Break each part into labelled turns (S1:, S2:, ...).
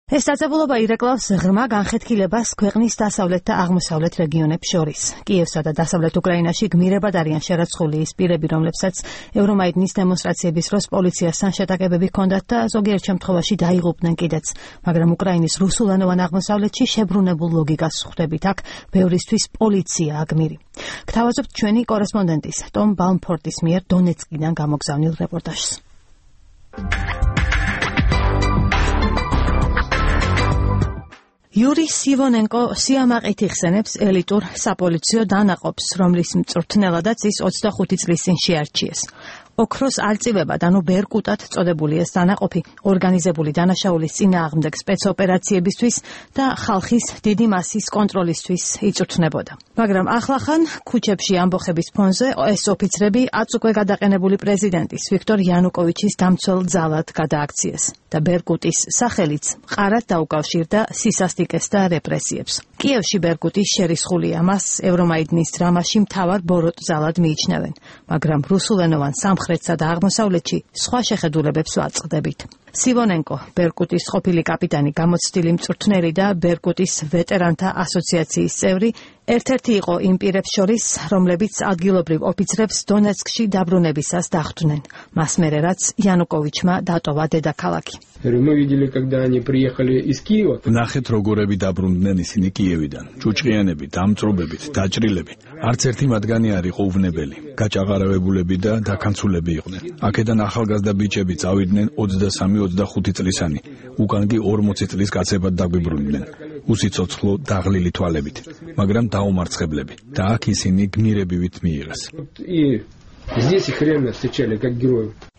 S1: ეს დაწესებულება ირეკლავს ღრმა განხეთქილებას ქვეყნის დასავლეთ და აღმოსავლეთ რეგიონებს შორის. კიევსა და დასავლეთ უკრაინაში გმირებად არიან შერაცხული ის პირები, რომლებსაც ევრომაიდნის დემონსტრაციების დროს პოლიციასთან შეტაკებები ჰქონდათ და ზოგიერთ შემთხვევაში დაიღუპნენ კიდეც. მაგრამ უკრაინის რუსულენოვან აღმოსავლეთში შებრუნებულ ლოგიკას ხვდებით აქ, ბევრისთვის პოლიციაა გმირი. გთავაზობთ ჩვენი კორესპონდენტის ტომ ბალმფორდის მიერ დონეცკიდან გამოგზავნილ რეპორტაჟს. Yuri Sivonenko სიამაყით იხსენებს ელიტურ საპოლიციო დანაყოფს, რომლის მწვრთნელადაც ის 25 წლის წინ შეარჩიეს. ოქროს არწივებად, ანუ ბერკუტად წოდებული ეს დანაყოფი ორგანიზებული დანაშაულის წინააღმდეგ სპეცოპერაციებისთვის და ხალხის დიდი მასის კონტროლისთვის იწვრთნებოდა. მაგრამ ახლახან ქუჩებში ამბოხების ფონზე ეს ოფიცრები აწ უკვე გადაყენებული პრეზიდენტის ვიქტორ იანუკოვიჩის დამცველ ძალად გადააქციეს და ბერკუტის სახელიც მყარად დაუკავშირდა სისასტიკეს და რეპრესიებს. კიევში ბერკუტის შერისხულია, მას ევრომაიდნის დრამაში მთავარ ბოროტ ძალად მიიჩნევენ, მაგრამ რუსულენოვან სამხრეთსა და აღმოსავლეთში სხვა შეხედულებებს ვაწყდებით. სივონენკო, ბერკუტის ყოფილი კაპიტანი, გამოცდილი მწვრთნელი და ბერკუტის ვეტერანთა ასოციაციის წევრი, ერთ-ერთი იყო იმ პირებს შორის, რომლებიც ადგილობრივ ოფიცრებს დონეცკში დაბრუნებისას დახვდნენ. მას მერე რაც იანუკოვიჩმა დატოვა დედაქალაქი.
S2: ნახეთ როგორები დაბრუნდნენ ისინი კიევიდან, ჭუჭყიანები, დამწრობებით, დაჭრილები. არც ერთი მათგანი არ იყო უვნებელი, გაჭაღარავებულები და დაქანცულები იყვნენ. აქედან ახალგაზრდა ბიჭები წავიდნენ 23-25 წლისანი, უკან კი 40 წლის კაცებად დაგვიბრუნდნენ, უსიცოცხლო დაღლილი თვალებით, მაგრამ დაუმარცხებლები და აქ ისინი გმირებივით მიიღეს.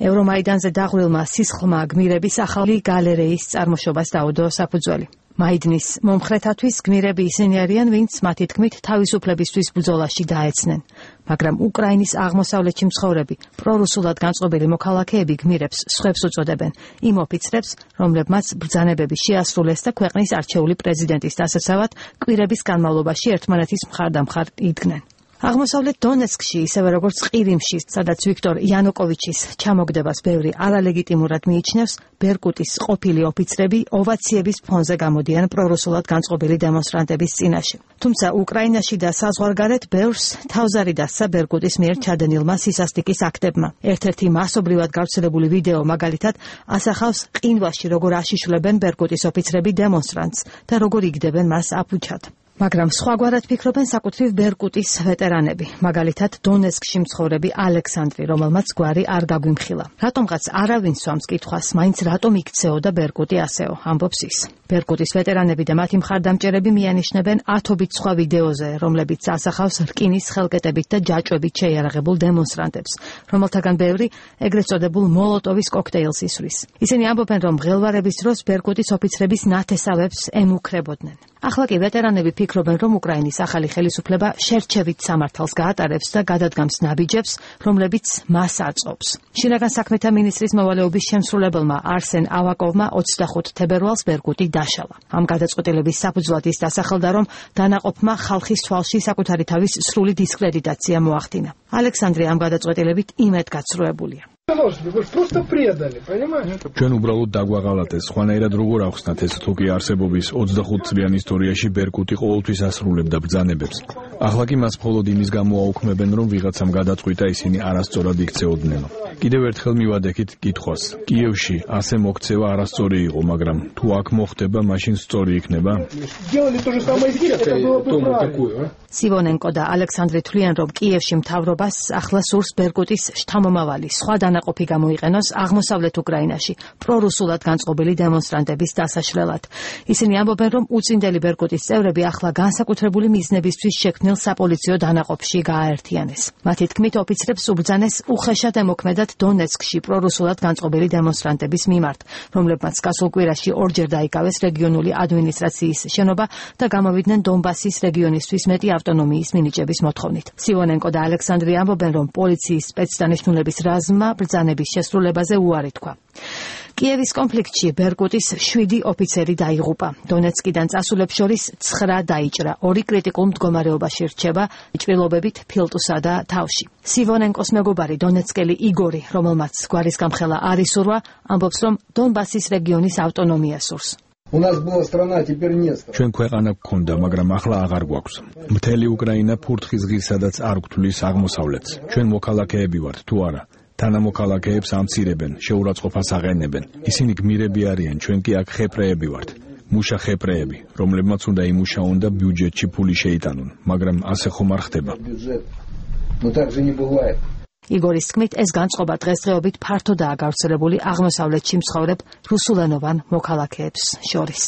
S1: ევრომაიდანზე დაღვრილმა სისხლმა გმირების ახალი გალერეის წარმოშობას დაუდო საფუძველი. მაიდნის მომხრეთათვის გმირები ისინი არიან, ვინც მათი თქმით თავისუფლებისთვის ბრძოლაში დაეცნენ. მაგრამ უკრაინის აღმოსავლეთში მცხოვრები პრორუსულად განწყობილი მოქალაქეები გმირებს სხვებს უწოდებენ, იმ ოფიცრებს, რომლებმაც ბრძანებები შეასრულეს და ქვეყნის არჩეული პრეზიდენტის დასაცავად კვირების განმავლობაში ერთმანეთის მხარდამხარ იდგნენ. აღმოსავლეთ დონეცკში, ისევე როგორც ყირიმში, სადაც ვიქტორ იანუკოვიჩის ჩამოგდებას ბევრი არალეგიტიმურად მიიჩნევს, ბერკუტის ყოფილი ოფიცრები ოვაციების ფონზე გამოდიან პრორუსულად განწყობილი დემონსტრანტების წინაშე. თუმცა უკრაინაში და საზღვარგარეთ ბევრს თავზარი დასცა ბერკუტის მიერ ჩადენილმა სისასტიკის აქტებმა. ერთ-ერთი მასობრივად გავრცელებული ვიდეო მაგალითად ასახავს ყინვაში, როგორ აშიშვლებენ ბერკუტის ოფიცრები დემონსტრანტს და როგორ იგდებენ მას აფუჩად. მაგრამ სხვაგვარად ფიქრობენ საკუთრივ ბერკუტის ვეტერანები, მაგალითად დონეცკში მცხოვრები ალექსანდრი, რომელმაც გვარი არ გაგვიმხილა. რატომღაც არავინ სვამს კითხვას, მაინც რატომ იქცეოდა ბერკუტი ასეო, ამბობს ის. ბერკუტის ვეტერანები და მათი მხარდამჭერები მიანიშნებენ ათობით სხვა ვიდეოზე, რომლებიც ასახავს რკინის ხელკეტებით და ჯაჭვებით შეიარაღებულ დემონსტრანტებს, რომელთაგან ბევრი ეგრეთ წოდებულ მოლოტოვის კოქტეილს ისვრის. ისინი ამბობენ, რომ მღელვარების დროს ბერკუტის ოფიცრების ნათესავებს ემუქრებოდნენ. ახლა კი ვეტერანები ფიქრობენ, რომ უკრაინის ახალი ხელისუფლება შერჩევით სამართალს გაატარებს და გადადგამს ნაბიჯებს, რომლებიც მას აწყობს. შინაგან საქმეთა მინისტრის მოვალეობის შემსრულებელმა არსენ ავაკოვმა 25 თებერვალს ბერკუტი დაშალა. ამ გადაწყვეტილების საფუძვლად ის დასახელდა, რომ დანაყოფმა ხალხის თვალში საკუთარი თავის სრული დისკრედიტაცია მოახდინა. ალექსანდრე ამ გადაწყვეტილებით იმედგაცრუებულია.
S2: ჩვენ უბრალოდ დაგვაღალატეს, სხვანაირად როგორ ახსნათ ეს თუკი არსებობის 25 წლიან ისტორიაში ბერკუტი ყოველთვის ასრულებდა ბრძანებებს. ახლა კი მას მხოლოდ იმის გამო აუქმებენ, რომ ვიღაცამ გადაწყვიტა ისინი არასწორად იქცეოდნენ. კიდევ ერთხელ მივადექით კითხვას. კიევში ასე მოქცევა არასწორი იყო, მაგრამ თუ აქ მოხდება, მაშინ სწორი იქნება?
S1: სივონენკო და ალექსანდრე თვლიან, რომ კიევში მთავრობას ახლა სურს ბერკუტის შთამომავალი სხვა დანაყოფი გამოიყენოს აღმოსავლეთ უკრაინაში პრორუსულად განწყობილი დემონსტრანტების დასაშლელად. ისინი ამბობენ, რომ უწინდელი ბერკუტის წევრები ახლა განსაკუთრებული მიზნებისთვის შექმნილ საპოლიციო დანაყოფში გააერთიანეს. მათი თქმით, ოფიცრებს უბრძანეს უხეშად ემოქმედათ დონეცკში პრორუსულად განწყობილი დემონსტრანტების მიმართ, რომლებმაც გასულ კვირაში ორჯერ დაიკავეს რეგიონული ადმინისტრაციის შენობა და გამოვიდნენ დონბასის რეგიონისთვის მეტი ავტონომიის მინიჭების მოთხოვნით. სივონენკო და ალექსანდრე ამბობენ, რომ პოლიციის სპეცდანიშნულების რაზმმა ბრძანების შესრულებაზე უარი თქვა. კიევის კონფლიქტში ბერკუტის 7 ოფიცერი დაიღუპა. დონეცკიდან წასულებს შორის 9 დაიჭრა. 2 კრიტიკულ მდგომარეობაში რჩება ჭრილობებით ფილტვსა და თავში. სივონენკოს მეგობარი დონეცკელი იგორი, რომელმაც გვარის გამხელა არ ისურვა, ამბობს, რომ დონბასის რეგიონის ავტონომია სურს.
S3: У нас была страна, теперь нет.
S2: ჩვენ ქვეყანა გქონდა, მაგრამ ახლა აღარ გვაქვს. მთელი უკრაინა ფურთხის ღირს, სადაც არ გვთვლის აღმოსავლეთს. ჩვენ მოქალაქეები ვართ თუ არა? თანამოქალაქეებს ამცირებენ, შეურაცხყოფას აყენებენ. ისინი გმირები არიან, ჩვენ კი აქ ხეპრეები ვართ. მუშა ხეპრეები, რომლებმაც უნდა იმუშაონ და ბიუჯეტში ფული შეიტანონ, მაგრამ ასე ხომ არ ხდება.
S3: Но так же не бывает.
S1: იგორის თქმით, ეს განწყობა დღესდღეობით ფართოდაა გავრცელებული აღმოსავლეთში მცხოვრებ რუსულენოვან მოქალაქეებს შორის.